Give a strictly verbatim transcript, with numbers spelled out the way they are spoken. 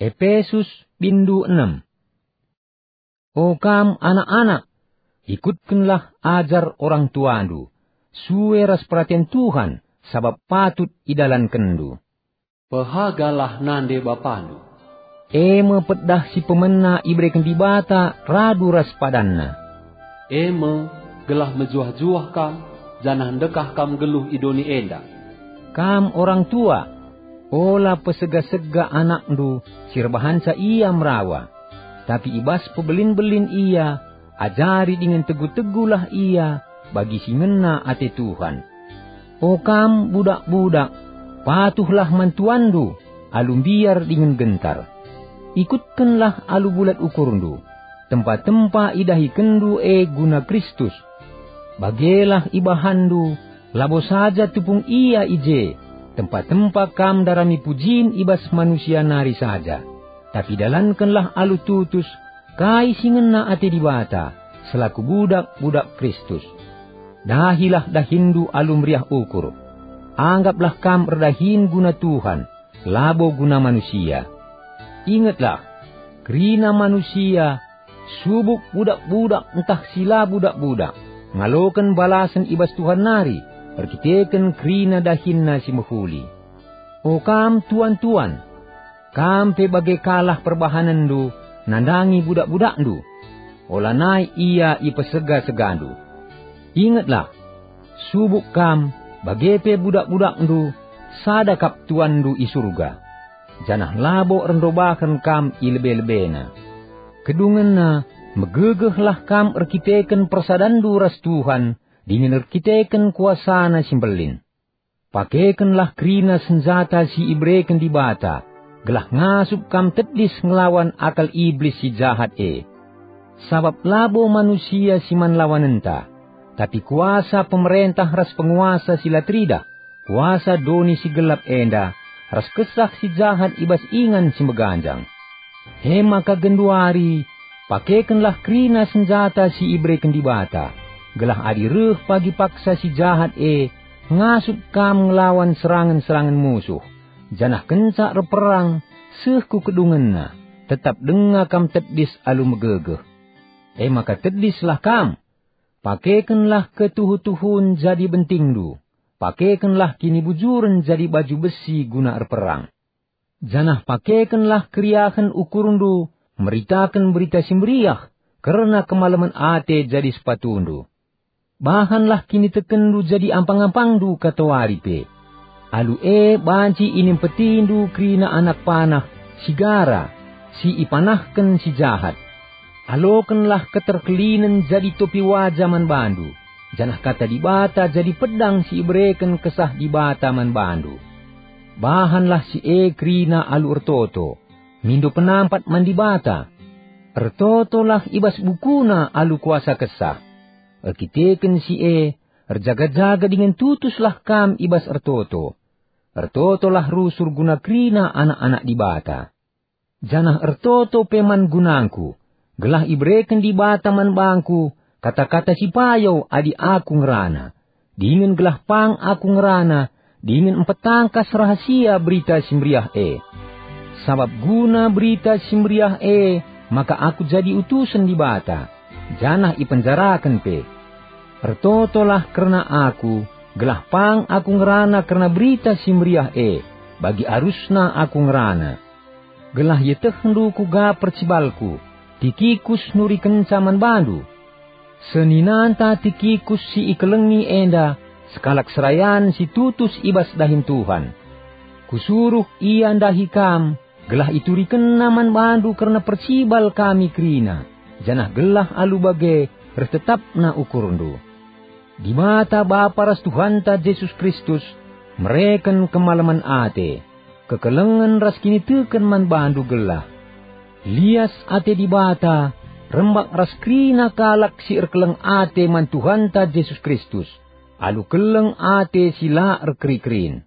Epesus, bindu enem. O kam anak-anak, ikutkenlah ajar orang tuandu, sue ras peraten Tuhan, sabap patut idalankenndu. Pehagalah nande bapandu. E me pedah si pemena ibereken Dibata radu ras padanNa. E me, gelah mejuah-juah kam, janah ndekah kam nggeluh i doni enda. Kam orang tua, ola pesega-sega anakndu si erbahanca ia merawa, tapi i bas pebelin-belin ia, ajari dingen tegu-tegulah ia bagi si ngena ate Tuhan. O kam budak-budak, patuhlah man tuanndu alu mbiar dingen gentar. Ikutkenlah alu bulat ukurndu, tempa-tempa idahikenndu e guna Kristus. Bagelah ibahanndu, labo saja tupung ia i je, tempa-tempa kam ndarami pujin i bas manusia nari saja. Tapi dalankenlah alu tutus kai si ngena ate Dibata, selaku budak-budak Kristus. Dahilah dahinndu alu meriah ukur. Anggaplah kam erdahin guna Tuhan, labo guna manusia. Ingetlah, kerina manusia, subuk budak-budak ntah si la budak-budak, ngaloken balasen i bas Tuhan nari, erkiteken kerina dahinna si mehuli. O kam tuan-tuan, kam pe bage kalah perbahanenndu nandangi budak-budakndu. Olanai ia ipesega-segandu. Ingetlah, subuk kam, bage pe budak-budakndu, sada kap Tuanndu i Surga, janah labo erndobaken kam i lebe-lebeNa. Kedungenna, megegehlah kam erkiteken persadanndu ras Tuhan dingen erkiteken kuasaNa si mbelin. Pakekenlah kerina senjata si ibereken Dibata, gelah ngasup kam tedis ngelawan akal Iblis si jahat e. Sabap labo manusia si man lawanenta, tapi kuasa pemerentah ras penguasa si la teridah, kuasa doni si gelap enda, ras kesah si jahat i bas ingan si meganjang. E maka genduari, pakekenlah kerina senjata si ibereken Dibata, gelah adi reh pagi paksa si jahat e, ngasup kam ngelawan serangen-serangen musuh, janah kenca erperang seh ku kedungenna, tetap denga kam tedis alu megegeh. E maka tedislah kam, pakekenlah ketuhu-tuhun jadi bentingndu, pakekenlah kinibujuren jadi baju besi guna erperang. Janah pakekenlah keriahen ukurndu meritaken Berita Si Meriah kerna kemalemen ate jadi sepatundu. Bahanlah kinitekenndu jadi ampang-ampangndu katawari pe. Alu e banci inimpetindu kerina anak panah si gara, si ipanahken si jahat. Alokenlah keterkelinen jadi topi waja man bandu, janah kata Dibata jadi pedang si ibereken Kesah Dibata man bandu. Bahanlah si e kerina alu ertoto, mindo penampat man Dibata. Ertotolah i bas bukuna alu kuasa Kesah. Erkiteken si e, erjaga-jaga dingen tutuslah kam i bas ertoto. Ertotolah rusur guna kerina anak-anak Dibata. Janah ertoto pe man gunangku, gelah ibereken Dibata man bangku kata-kata si payo adi aku ngerana, dingen gelah pang aku ngerana dingen mpetangkas rahasia Berita Si Meriah e. Sabap guna Berita Si Meriah e maka aku jadi utusen Dibata, janah ipenjaraken pe. Ertotolah kerna aku, gelah pang aku ngerana kerna Berita Si Meriah e, bagi arusna aku ngerana. Gelah ietehndu kuga percibalku, Tikikus nurikenca man bandu. Seninanta Tikikus si ikelengi enda sekalak serayan si tutus i bas dahin Tuhan. Kusuruh ia ndahi kam, gelah iturikenna man bandu kerna percibal kami kerina, janah gelah alu bage ertetapna ukurndu. Dibata Bapa ras Tuhanta Jesus Kristus mereken kemalemen ate, kekelengen ras kiniteken man bandu gelah. Lias ate Dibata rembak ras kerina kalak si erkeleng ate man Tuhanta Jesus Kristus, alu keleng ate si la erkeri-kerin.